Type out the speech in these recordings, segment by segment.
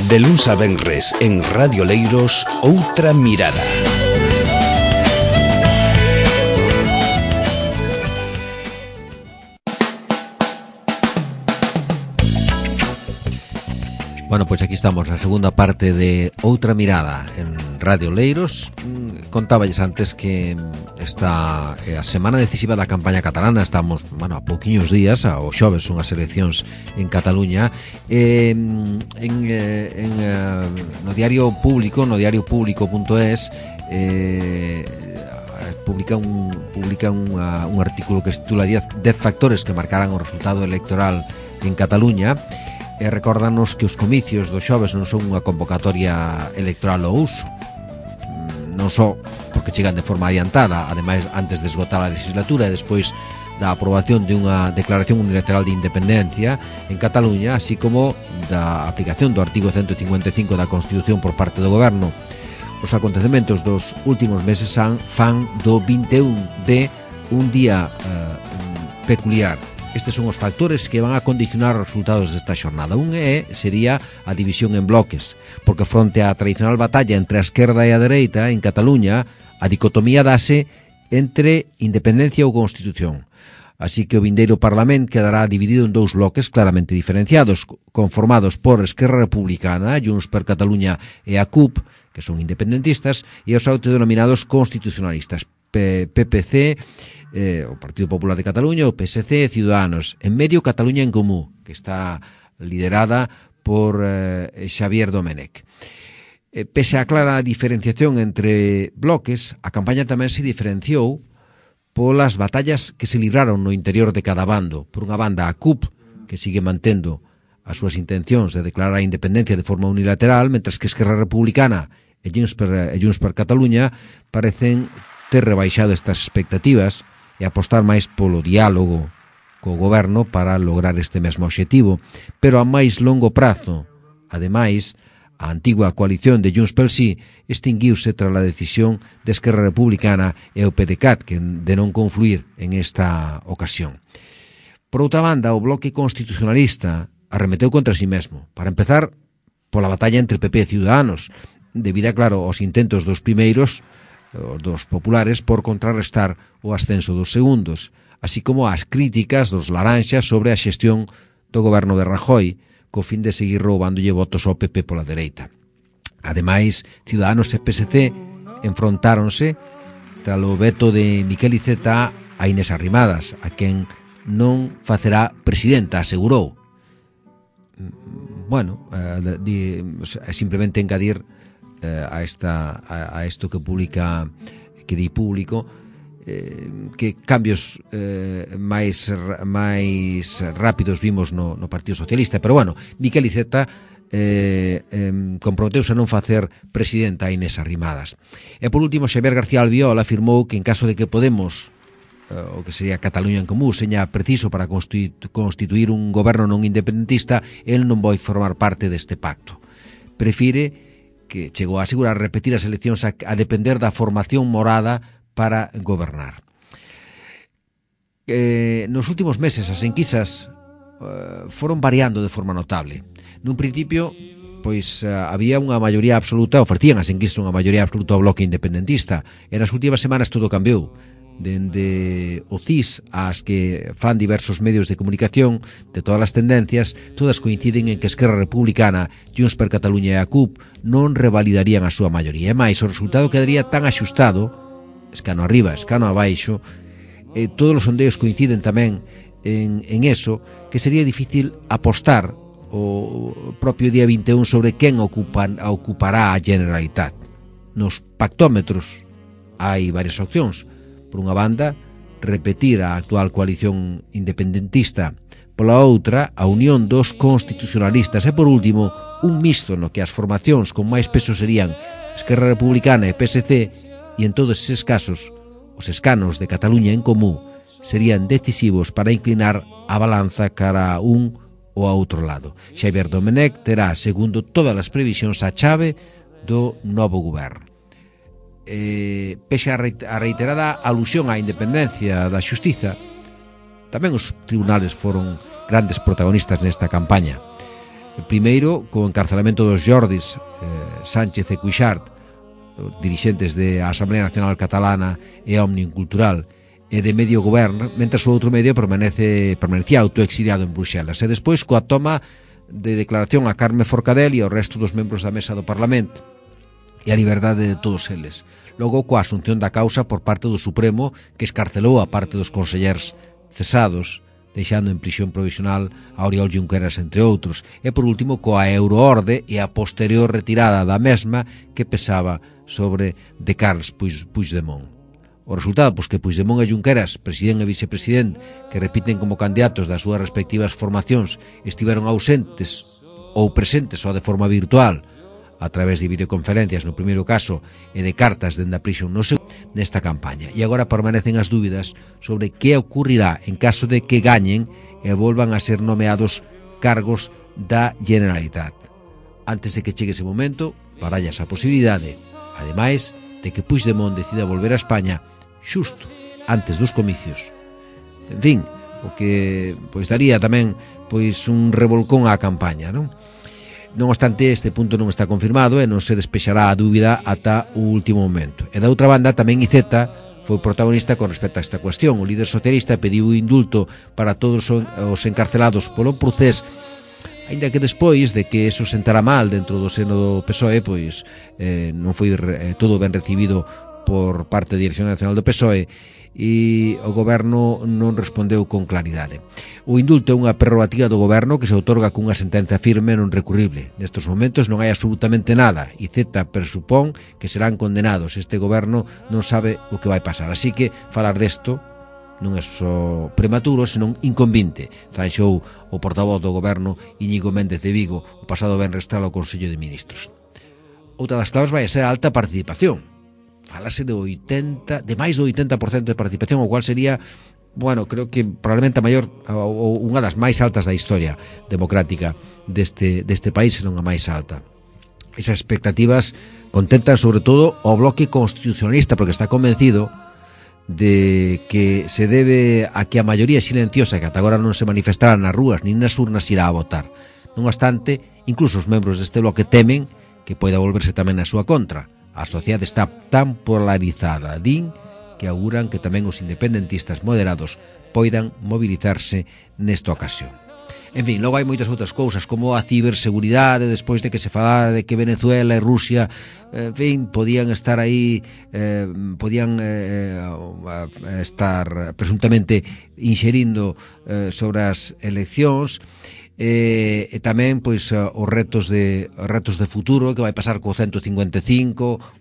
De luns a venres en Radio Leiros, Outra Mirada. Bueno, pois aquí estamos na segunda parte de Outra Mirada en Radio Leiros. Contáballes antes que esta a semana decisiva da campaña catalana. Estamos, a pouquiños días, ao xoves son as eleccións en Cataluña. No diario público, no diariopublico.es, publica un artículo que se titula 10 factores que marcarán o resultado electoral en Cataluña. E recórdanos que os comicios do xoves non son unha convocatoria electoral ao uso, non só porque chegan de forma adiantada, ademais antes de esgotar a legislatura e despois da aprobación de unha declaración unilateral de independencia en Cataluña, así como da aplicación do artigo 155 da Constitución por parte do Goberno. Os acontecementos dos últimos meses fan do 21D un día peculiar. Estes son os factores que van a condicionar os resultados desta xornada. Un sería a división en bloques, porque fronte á tradicional batalla entre a esquerda e a dereita en Cataluña, a dicotomía dase entre independencia ou Constitución. Así que o vindeiro Parlamento quedará dividido en dous bloques claramente diferenciados, conformados por Esquerra Republicana, Junts per Catalunya e a CUP, que son independentistas, e os autodenominados constitucionalistas, PPC, o Partido Popular de Cataluña, o PSC e Ciudadanos. En medio, Cataluña en Comú, que está liderada por Xavier Domènech. Pese á clara diferenciación entre bloques, a campaña tamén se diferenciou polas batallas que se libraron no interior de cada bando. Por unha banda, a CUP, que sigue mantendo as súas intencións de declarar a independencia de forma unilateral, mentras que Esquerra Republicana e Junts per Catalunya parecen ter rebaixado estas expectativas e apostar máis polo diálogo co goberno para lograr este mesmo obxectivo, pero a máis longo prazo. Ademais, a antigua coalición de Junts pel Sí extinguiuse tras a decisión de Esquerra Republicana e o PDeCAT de non confluir en esta ocasión. Por outra banda, o bloque constitucionalista arremeteu contra si mesmo. Para empezar, pola batalla entre PP e Ciudadanos, debido, claro, aos intentos dos primeiros, dos populares, por contrarrestar o ascenso dos segundos, así como as críticas dos laranxas sobre a xestión do goberno de Rajoy, co fin de seguir roubándolle votos ao PP pola dereita. Ademais, Ciudadanos e PSC enfrontáronse tras o veto de Miquel Iceta a Inés Arrimadas, a quen non facerá presidenta, asegurou. Simplemente engadir a isto que publica, que di Público, que cambios máis rápidos vimos no Partido Socialista, pero Miquel Iceta comprometeuse a non facer presidenta a Inés Arrimadas. E por último, Xavier García Albiol afirmou que en caso de que Podemos, o que sería Cataluña en Comú, seña preciso para constituir un goberno non independentista, el non vai formar parte deste pacto. Prefire, que chegou a asegurar, repetir as eleccións a depender da formación morada para gobernar. Nos últimos meses as enquisas foron variando de forma notable. Nun principio, había unha maioría absoluta, ofrecían as enquisas unha maioría absoluta ao bloque independentista, e nas últimas semanas todo cambiou. Dende o CIS ás que fan diversos medios de comunicación de todas as tendencias, todas coinciden en que Esquerra Republicana, Junts per Catalunya e a CUP non revalidarían a súa maioría. E máis, o resultado quedaría tan axustado, escano arriba, escano abaixo, todos os sondeos coinciden tamén en eso, que sería difícil apostar o propio día 21 sobre quen ocupará a Generalitat. Nos pactómetros hai varias opcións. Por unha banda, repetir a actual coalición independentista, pola outra, a unión dos constitucionalistas, e por último, un mixto no que as formacións con máis peso serían Esquerra Republicana e PSC, e en todos eses casos, os escanos de Cataluña en Comú serían decisivos para inclinar a balanza cara a un ou a outro lado. Xavier Domènech terá, segundo todas as previsións, a chave do novo goberno. Pese a reiterada alusión á independencia da xustiza, tamén os tribunales foron grandes protagonistas nesta campaña. Primeiro, co encarcelamento dos Jordis Sánchez e Cuixart, dirixentes da Asamblea Nacional Catalana e Òmnium Cultural, e de medio goberno, mentre o outro medio permanecía autoexiliado en Bruxelas. E despois, coa toma de declaración a Carme Forcadell e ao resto dos membros da mesa do Parlamento, e a liberdade de todos eles. Logo, coa asunción da causa por parte do Supremo, que escarcelou a parte dos consellers cesados, deixando en prisión provisional a Oriol Junqueras, entre outros, e por último coa Euroorde e a posterior retirada da mesma que pesaba sobre de Carles Puigdemont. O resultado, pois que Puigdemont e Junqueras, presidente e vicepresidente, que repiten como candidatos das súas respectivas formacións, estiveron ausentes ou presentes só de forma virtual, a través de videoconferencias no primeiro caso e de cartas dende a prisión no segundo, nesta campaña. E agora permanecen as dúbidas sobre que ocurrirá en caso de que gañen e volvan a ser nomeados cargos da Generalitat. Antes de que chegue ese momento, baralla esa posibilidade, ademais de que Puigdemont decida volver a España xusto antes dos comicios. En fin, o que pois daría tamén pois un revolcón á campaña, non? Non obstante, este punto non está confirmado e non se despexará a dúbida ata o último momento. E da outra banda, tamén Iceta foi protagonista con respecto a esta cuestión. O líder socialista pediu indulto para todos os encarcelados polo procés, aínda que despois de que eso sentara mal dentro do seno do PSOE, pois non foi todo ben recibido por parte da Dirección Nacional do PSOE, e o goberno non respondeu con claridade. O indulto é unha prerrogativa do goberno que se outorga cunha sentenza firme e non recurrible. Nestes momentos non hai absolutamente nada. Iceta presupón que serán condenados. Este goberno non sabe o que vai pasar. Así que falar desto non é só prematuro, senón inconvinte, zanxou o portavoz do goberno Íñigo Méndez de Vigo o pasado venres ao Consello de Ministros. Outra das claves vai ser a alta participación. Falase de máis do 80% de participación, o cual sería, bueno, creo que probablemente a maior ou unha das máis altas da historia democrática deste país, senón a máis alta. Esas expectativas contentan sobre todo ao bloque constitucionalista, porque está convencido de que se debe a que a maioría silenciosa que ata agora non se manifestará nas rúas nin nas urnas irá a votar. Non obstante, incluso os membros deste bloque temen que poida volverse tamén a súa contra. A sociedade está tan polarizada, din, que auguran que tamén os independentistas moderados poidan mobilizarse nesta ocasión. En fin, logo hai moitas outras cousas, como a ciberseguridade, despois de que se falara de que Venezuela e Rusia, en fin, podían estar aí, podían estar presuntamente inxerindo sobre as eleccións, e tamén pois os retos de futuro, que vai pasar co 155,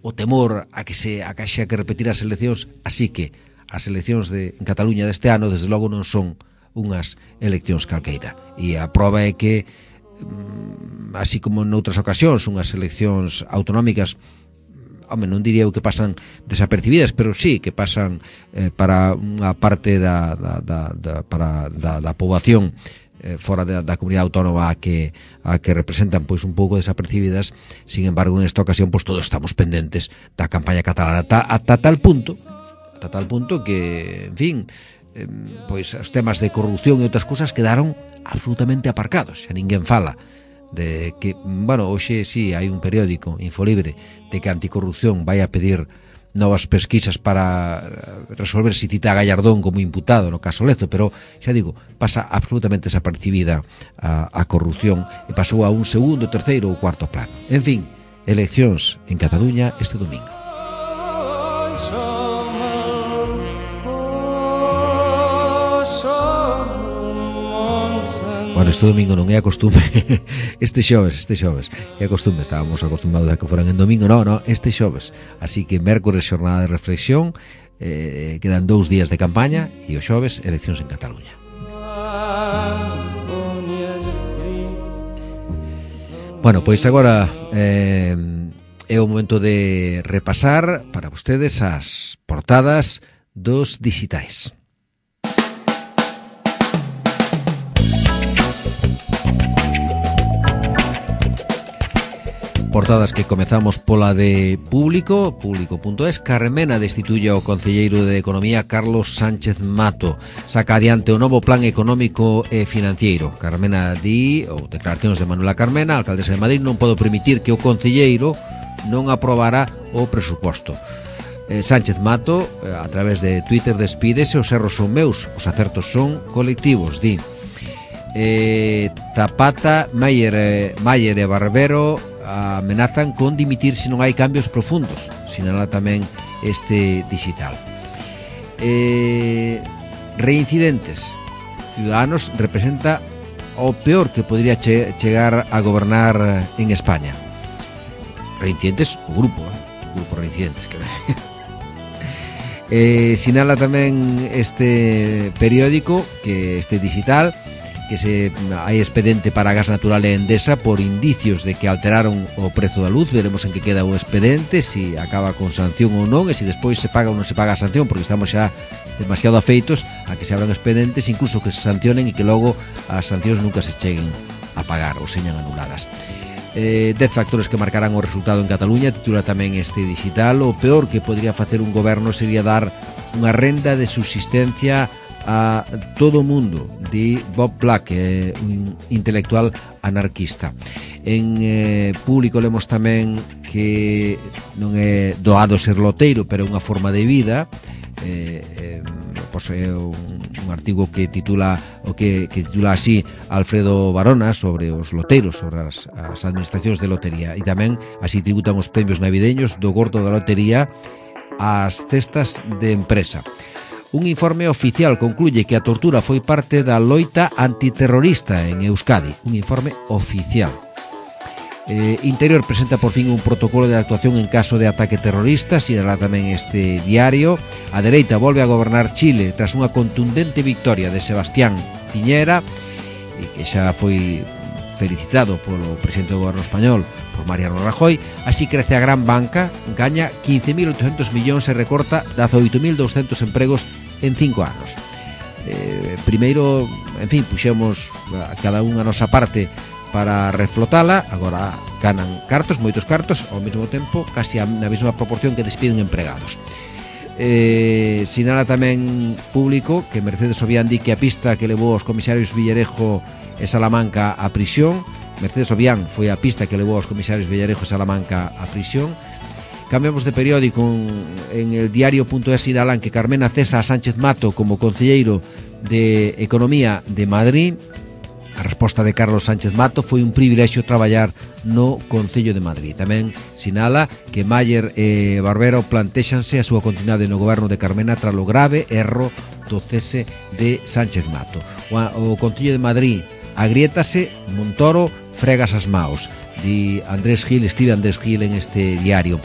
o temor a que haxa que repetir as eleccións. Así que as eleccións en Cataluña deste ano desde logo non son unhas eleccións calqueira, e a prova é que así como noutras ocasións unhas eleccións autonómicas, non diría eu que pasan desapercibidas, pero sí que pasan para unha parte da poboación fora da comunidade autónoma a que representan pois un pouco desapercibidas. Sin embargo, en esta ocasión pois todos estamos pendentes da campaña catalana ata tal punto que, en fin, pois os temas de corrupción e outras cousas quedaron absolutamente aparcados. Xa ninguén fala de que, bueno, hoxe sí hai un periódico, Infolibre, de que Anticorrupción vai a pedir novas pesquisas para resolver se cita a Gallardón como imputado no caso Lezo, pero xa digo, pasa absolutamente desapercibida a corrupción e pasou a un segundo, terceiro ou cuarto plano. En fin, eleccións en Cataluña este domingo. Bueno, este domingo non é a costume. Este xoves é a costume. Estábamos acostumbrados a que foran en domingo. No, este xoves. Así que mércores jornada de reflexión, quedan 2 días de campaña, e o xoves eleccións en Cataluña. Bueno, pois agora é o momento de repasar para vostedes as portadas dos dixitais. portadas que comezamos pola de Público, público.es. Carmena destituye ao concelleiro de Economía Carlos Sánchez Mato. Saca adiante o novo plan económico e financiero. Carmena di, ou declaracións de Manuela Carmena, alcaldesa de Madrid: non podo permitir que o concelleiro non aprobara o presuposto. Sánchez Mato, a través de Twitter, despídese: os erros son meus, os acertos son colectivos, di. Zapata, Mayer e Barbero amenazan con dimitir se non hai cambios profundos, sinala tamén este digital. Reincidentes. Ciudadanos representa o peor que podría chegar a gobernar en España. Reincidentes, o grupo Reincidentes, quero decir. Sinala tamén este periódico, que este digital, que hai expedente para gas natural e Endesa por indicios de que alteraron o prezo da luz. Veremos en que queda o expedente, se acaba con sanción ou non, e se despois se paga ou non se paga a sanción, porque estamos xa demasiado afeitos a que se abran expedentes, incluso que se sancionen, e que logo as sancións nunca se cheguen a pagar ou señan anuladas. 10 factores que marcarán o resultado en Cataluña, titula tamén este digital. O peor que podría facer un goberno sería dar unha renda de subsistencia a todo o mundo, di Bob Black, un intelectual anarquista. En Público lemos tamén que non é doado ser loteiro, pero é unha forma de vida. Pois é un artigo que titula así Alfredo Barona sobre os loteiros, sobre as administracións de lotería, e tamén así tributan os premios navideños do gordo da lotería ás cestas de empresa. Un informe oficial concluye que a tortura foi parte da loita antiterrorista en Euskadi. Un informe oficial. Interior presenta por fin un protocolo de actuación en caso de ataque terrorista, sinala tamén este diario. A dereita volve a gobernar Chile tras unha contundente victoria de Sebastián Piñera, e que xa foi felicitado polo presidente do goberno español, por Mariano Rajoy. Así crece a gran banca, gaña 15.800 millóns e recorta 18.200 empregos en 5 anos. Primeiro, en fin, puxemos a cada unha a nosa parte para reflotala. Agora ganan cartos, moitos cartos, ao mesmo tempo casi na mesma proporción que despiden empregados. Sinala tamén Público que Mercedes Obián di que a pista que levou os comisarios Villarejo e Salamanca a prisión. Mercedes Obián foi a pista que levou os comisarios Villarejo e Salamanca a prisión. Cambiamos de periódico. En el diario.es sinalan que Carmena cesa a Sánchez Mato como concelleiro de Economía de Madrid. A resposta de Carlos Sánchez Mato: foi un privilexio traballar no Concello de Madrid. Tamén sinala que Mayer e Barbero plantéxanse a súa continuidade no goberno de Carmena tras o grave erro do cese de Sánchez Mato. O Concello de Madrid agriétase, Montoro fregas as maos, di Andrés Gil, escribe Andrés Gil en este diario.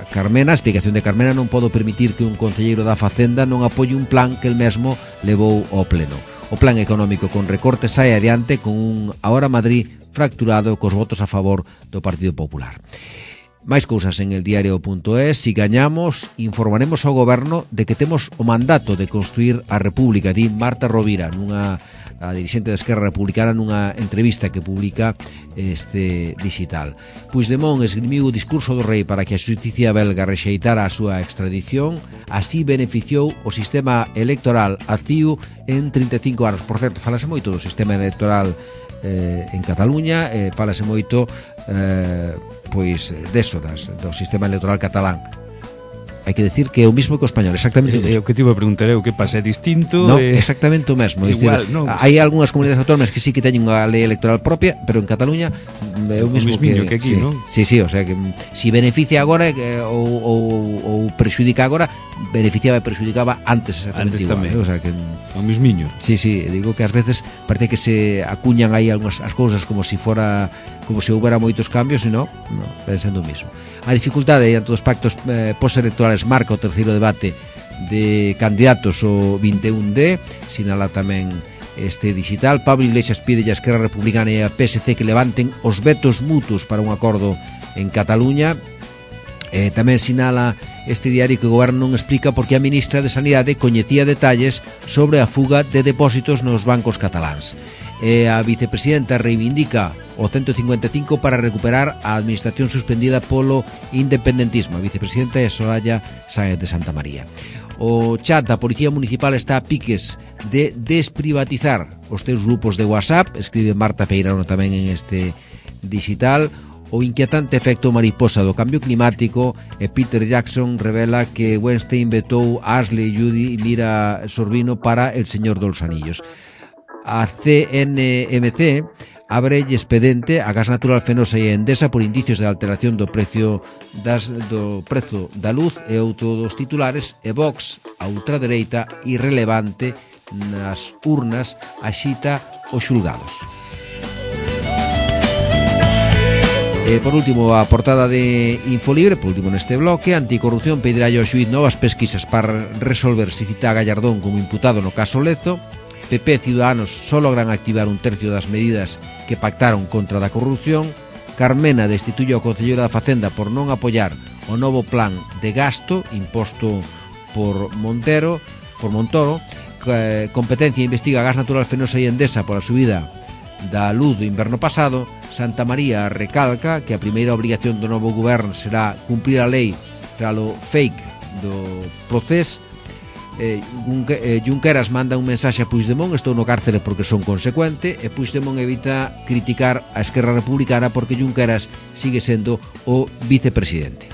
Carmena, a explicación de Carmena: non podo permitir que un concelleiro da Facenda non apoie un plan que el mesmo levou ao pleno. O plan económico con recortes sae adiante con un Ahora Madrid fracturado cos votos a favor do Partido Popular. Máis cousas en el diario.es. Si gañamos, informaremos ao goberno de que temos o mandato de construir a República, di Marta Rovira, a dirixente da Esquerra Republicana, nunha entrevista que publica este digital. Puigdemont esgrimiu o discurso do rei para que a xusticia belga rexeitara a súa extradición. Así beneficiou o sistema electoral a CIU en 35 anos. Por certo, falase moito do sistema electoral en Cataluña, falase moito pois deso, do sistema electoral catalán. Hai que decir que é o mismo que o español, exactamente o mesmo. O que te iba a preguntar é o que pasa, é distinto? No, exactamente o mesmo. Igual, dicir, no. Hai algunhas comunidades autónomas que sí que teñen unha lei electoral propia, pero en Cataluña é o mesmo que aquí, sí, non? Sí, o sea que si beneficia agora ou perxudica agora, beneficiaba e perxudicaba antes exactamente igual. O sea que o mismiño. Sí, digo que ás veces parece que se acuñan aí algunhas as cousas como se houbera moitos cambios, e non, ven sendo o mismo. A dificultade diante dos pactos postelectorales marca o terceiro debate de candidatos o 21D, sinala tamén este digital. Pablo Iglesias pide a Esquerra Republicana e a PSC que levanten os vetos mutuos para un acordo en Cataluña. Tamén sinala este diario que o goberno non explica por que a ministra de Sanidade coñecía detalles sobre a fuga de depósitos nos bancos cataláns. A vicepresidenta reivindica o 155 para recuperar a administración suspendida polo independentismo. A vicepresidenta é Soraya Sáenz de Santamaría. O chat da Policía Municipal está a piques de desprivatizar os teus grupos de WhatsApp, escribe Marta Feirano tamén en este digital. O inquietante efecto mariposa do cambio climático, e Peter Jackson revela que Weinstein vetou a Ashley Judy e Mira Sorvino para El Señor dos Anillos. A CNMC abre expedente a Gas Natural Fenosa e Endesa por indicios de alteración do prezo da luz e outro dos titulares, e Vox, a ultradereita irrelevante nas urnas, axita os xulgados. Por último, a portada de Infolibre, por último neste bloque, Anticorrupción pedirá ao xuíz novas pesquisas para resolver se cita a Gallardón como imputado no caso Lezo. PP e Ciudadanos só logran activar un tercio das medidas que pactaron contra da corrupción. Carmena destituye ao concelleiro da Facenda por non apoiar o novo plan de gasto imposto por Montoro. Competencia investiga Gas Natural Fenosa e Endesa por a subida da luz do inverno pasado. Santamaría recalca que a primeira obrigación do novo goberno será cumprir a lei tralo fake do proceso. Junqueras manda un mensaxe a Puigdemont: estou no cárcere porque son consecuente, e Puigdemont evita criticar a Esquerra Republicana porque Junqueras sigue sendo o vicepresidente.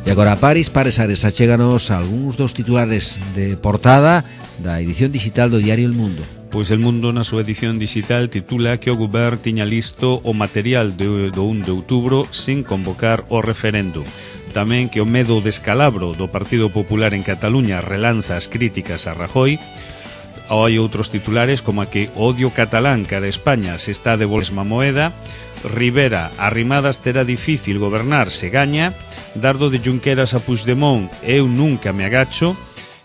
E agora a Paris Ares, achéganos algúns dos titulares de portada da edición digital do diario El Mundo. Pois El Mundo na súa edición digital titula que o Govern tiña listo o material do 1 de outubro sin convocar o referendo. Tamén que o medo de descalabro do Partido Popular en Cataluña relanza as críticas a Rajoy. Hai outros titulares como a que o odio catalán cara a España se está de mesma moeda. Rivera, Arrimadas terá difícil gobernar se gaña. Dardo de Junqueras a Puigdemont, eu nunca me agacho.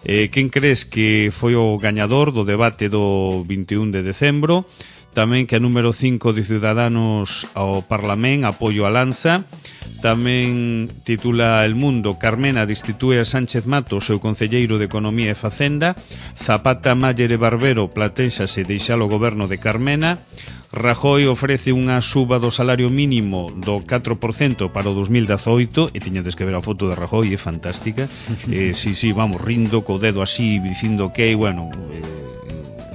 Quen crees que foi o gañador do debate do 21 de decembro? Tamén que a número 5 de Ciudadanos ao Parlamento apoio a Lanza. Tamén titula El Mundo: Carmena destitue a Sánchez Mato, seu concelleiro de Economía e Facenda. Zapata, Mayer e Barbero platéxase deixar o goberno de Carmena. Rajoy ofrece unha suba do salario mínimo do 4% para o 2018, e tiñades que ver a foto de Rajoy, é fantástica. Vamos, rindo co dedo así, dicindo que, bueno,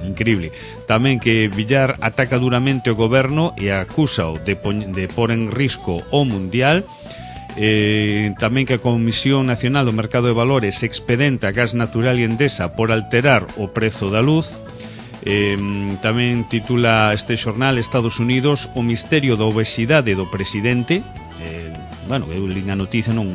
increíble. Tamén que Villar ataca duramente o goberno e acúsao de pôr en risco o mundial. Tamén que a Comisión Nacional do Mercado de Valores expedenta Gas Natural e Endesa por alterar o prezo da luz. Tamén titula este xornal Estados Unidos: o misterio da obesidade do presidente. Eu li a noticia, non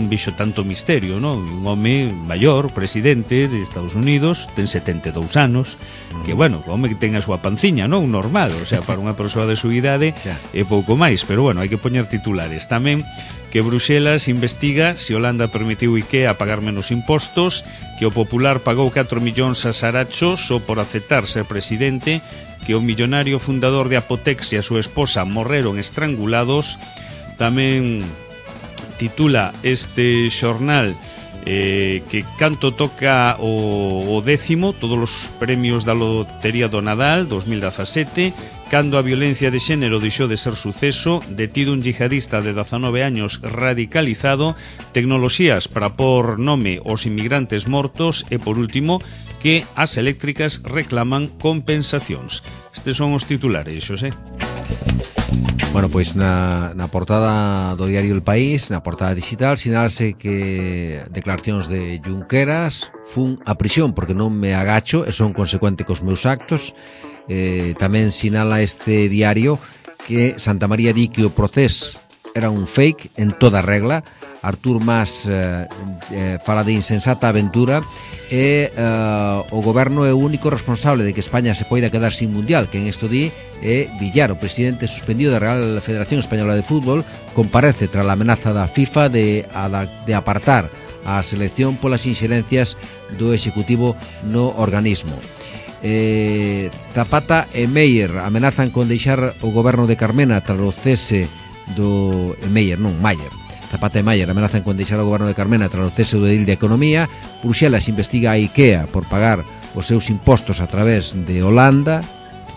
vixo tanto misterio, non? Un home maior, presidente de Estados Unidos, ten 72 anos, que, o home que ten a súa panciña, non? Normal, o sea, para unha persoa de súa idade é pouco máis, pero, hai que poñer titulares. Tamén que Bruxelas investiga se Holanda permitiu IKEA pagar menos impostos, que o Popular pagou 4 millóns a Saracho só por aceptar ser presidente, que o millonario fundador de Apotex e a súa esposa morreron estrangulados. Tamén titula este xornal que canto toca o 10º, todos os premios da Lotería do Nadal 2017, cando a violencia de xénero deixou de ser suceso, detido un yihadista de 19 años radicalizado, tecnoloxías para pôr nome aos inmigrantes mortos, e por último, que as eléctricas reclaman compensacións. Estes son os titulares, Xosé. Bueno, pois na portada do diario El País, na portada digital, sinalase que declaracións de Junqueras: fun a prisión porque non me agacho e son consecuente cos meus actos. Tamén sinala este diario que Santamaría di que o procés era un fake en toda regla. Artur Mas fala de insensata aventura, e o goberno é o único responsable de que España se poida quedar sin mundial. Que en isto di é Villar, o presidente suspendido da Real Federación Española de Fútbol. Comparece tras a amenaza da FIFA de apartar a selección polas inxerencias do Executivo no organismo. Zapata e Meyer amenazan con deixar o goberno de Carmena tras o cese do Mayer Zapata e Mayer amenazan con deixar o goberno de Carmena tras o cese do edil de Economía. Bruxelas investiga a IKEA por pagar os seus impostos a través de Holanda.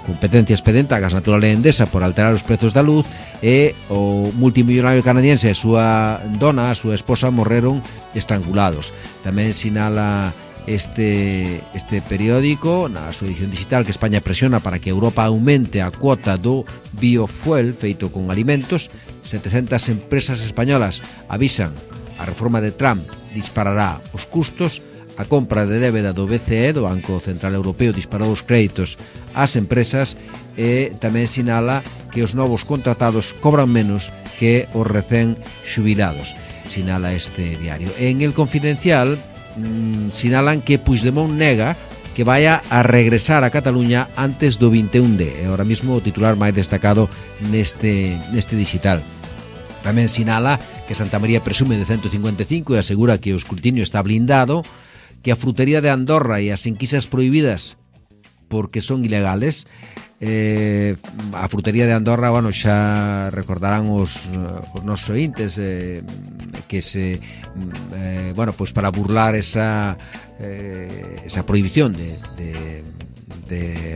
competencia expedenta a Gas Natural e Endesa por alterar os prezos da luz, e o multimillonario canadiense e a súa dona, a súa esposa, morreron estrangulados. Tamén sinala este periódico na súa edición digital que España presiona para que Europa aumente a cuota do biofuel feito con alimentos. 700 empresas españolas avisan a reforma de Trump disparará os custos. A compra de débeda do BCE, do Banco Central Europeo, disparou os créditos ás empresas, e tamén sinala que os novos contratados cobran menos que os recén xubilados, sinala este diario. En El Confidencial sinalan que Puigdemont nega que vaya a regresar a Cataluña antes do 21D. É ahora mismo o titular máis destacado neste digital. Tamén sinala que Santa María presume de 155 e asegura que o escrutinio está blindado, que a frutería de Andorra e as enquisas prohibidas porque son ilegales. A frutería de Andorra, bueno, xa recordarán os nosos ointes que se bueno, pois para burlar esa prohibición de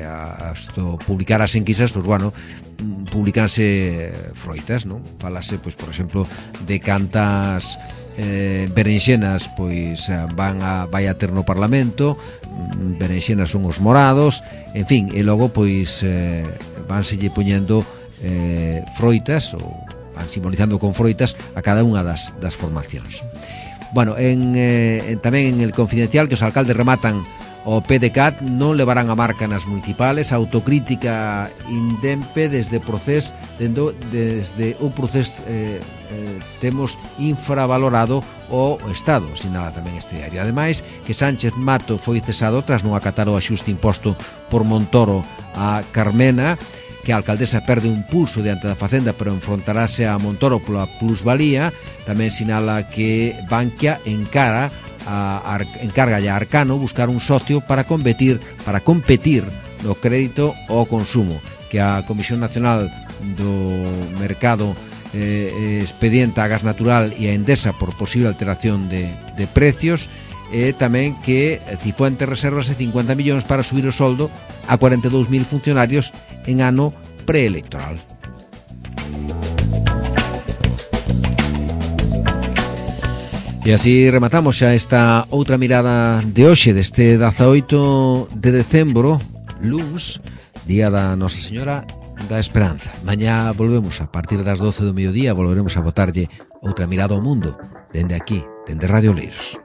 hasta publicar as enquisas, pois bueno, publicanse froitas, non? Falase, pois, por exemplo, de cantas berenxenas pois vai a ter no Parlamento. Berenxenas son os morados, en fin, e logo pois vanselle poñendo froitas, ou van simbolizando con froitas a cada unha das formacións. Bueno, tamén en El Confidencial que os alcaldes rematan o PDCAT non levarán a marca nas municipales. Autocrítica indempe desde un proceso temos infravalorado o Estado, sinala tamén este diario. Ademais, que Sánchez Mato foi cesado tras non acatar o axuste imposto por Montoro a Carmena, que a alcaldesa perde un pulso diante da Facenda, pero enfrontarase a Montoro pola plusvalía. Tamén sinala que Bankia encarga a Arcano buscar un socio para competir no crédito ao consumo, que a Comisión Nacional do Mercado expedienta a Gas Natural e a Endesa por posible alteración de precios, e tamén que Cifuentes reservase 50 millóns para subir o soldo a 42.000 funcionarios en ano preelectoral. E así rematamos xa esta outra mirada de hoxe, deste 18 de decembro, luns, día da Nosa Señora da Esperanza. Mañá volvemos a partir das 12 do mediodía, volveremos a botarlle outra mirada ao mundo, dende aquí, dende Radio Oleiros.